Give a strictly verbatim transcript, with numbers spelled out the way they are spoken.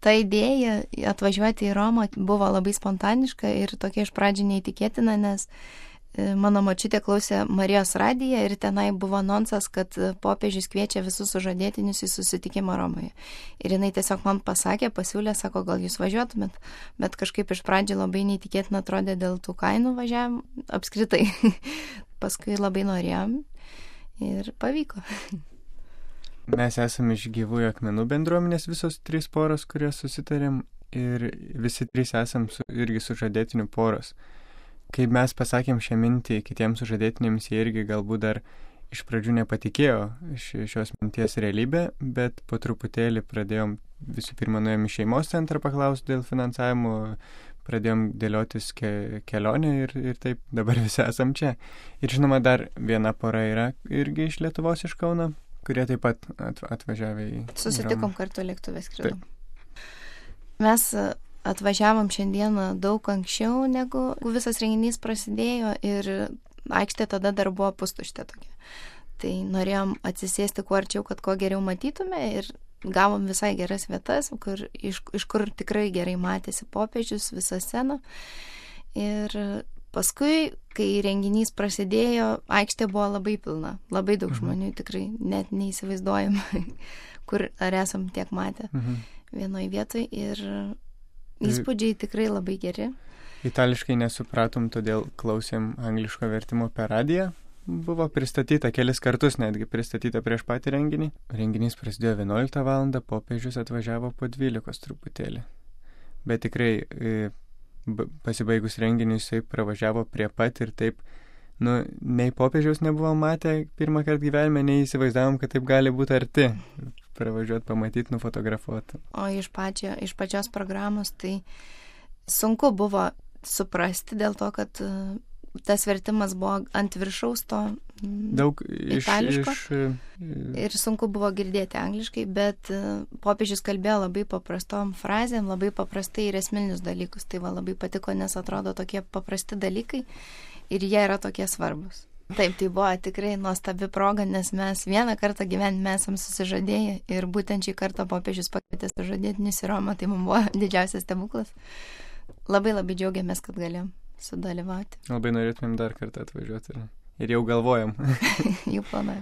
ta idėja atvažiuoti į Romą buvo labai spontaniška ir tokia iš pradžių neįtikėtina, nes mano močiutė klausė Marijos radiją ir tenai buvo anonsas, kad popiežius kviečia visus sužadėtinius į susitikimą Romoje. Ir jinai tiesiog man pasakė, pasiūlė, sako, gal jūs važiuotumėt, bet kažkaip iš pradžių labai neįtikėtina atrodė dėl tų kainų važiavim apskritai. Paskui labai norėjom ir pavyko. Mes esame iš Gyvųjų akmenų bendruomenės visos trys poros, kurios susitarėm ir visi trys esam su, irgi sužadėtinių poros. Kai mes pasakėm šią mintį kitiems sužadėtinėms, jie irgi galbūt dar iš pradžių nepatikėjo šios minties realybę, bet po truputėlį pradėjom, visų pirma, nuėjom į šeimos centrą paklausti dėl finansavimo, pradėjom dėliotis ke- kelionę ir, ir taip dabar visi esam čia. Ir žinoma, dar viena pora yra irgi iš Lietuvos, iš Kauno, kurie taip pat atvažiavę į... Susitikom kartu lėktuvės skridom. Mes atvažiavom šiandieną daug anksčiau, negu visas renginys prasidėjo ir aikštė tada dar buvo pustuštė tokia. Tai norėjom atsisėsti kuo arčiau, kad kuo geriau matytume ir gavom visai geras vietas, kur, iš, iš kur tikrai gerai matėsi popiežius, visą sceną. Ir paskui, kai renginys prasidėjo, aikštė buvo labai pilna, labai daug žmonių, tikrai net neįsivaizduojam, kur ar esam tiek matę Mhm. vienoje vietoje ir įspūdžiai tikrai labai geri. Itališkai nesupratom, todėl klausėm angliško vertimo per radiją. Buvo pristatyta kelis kartus, netgi pristatyta prieš patį renginį. Renginys prasidėjo vienuoliktą valandą, popiežius atvažiavo po dvylikos truputėlį. Bet tikrai pasibaigus renginiui jisai pravažiavo prie pat ir taip, nu, nei popiežiaus nebuvom matę pirmą kartą gyvenime, nei įsivaizdavom, kad taip gali būti arti. Pravažiuoti, pamatyti, nufotografuoti. O iš, pačio, iš pačios programos tai sunku buvo suprasti dėl to, kad tas vertimas buvo ant viršaus to daug itališko iš, iš... ir sunku buvo girdėti angliškai, bet popiežius kalbėjo labai paprastom frazėm, labai paprastai ir esminius dalykus. Tai va labai patiko, nes atrodo tokie paprasti dalykai ir jie yra tokie svarbus. Taip, tai buvo tikrai nuostabi proga, nes mes vieną kartą gyvenime esam susižadėję ir būtent šį kartą popiežius pakvietė sužadėtinius į Romą, tai mums buvo didžiausias stebuklas. Labai labai džiaugiamės, kad galėjom sudalyvauti. Labai norėtumėm dar kartą atvažiuoti ir, ir jau galvojam. Jau planuojam.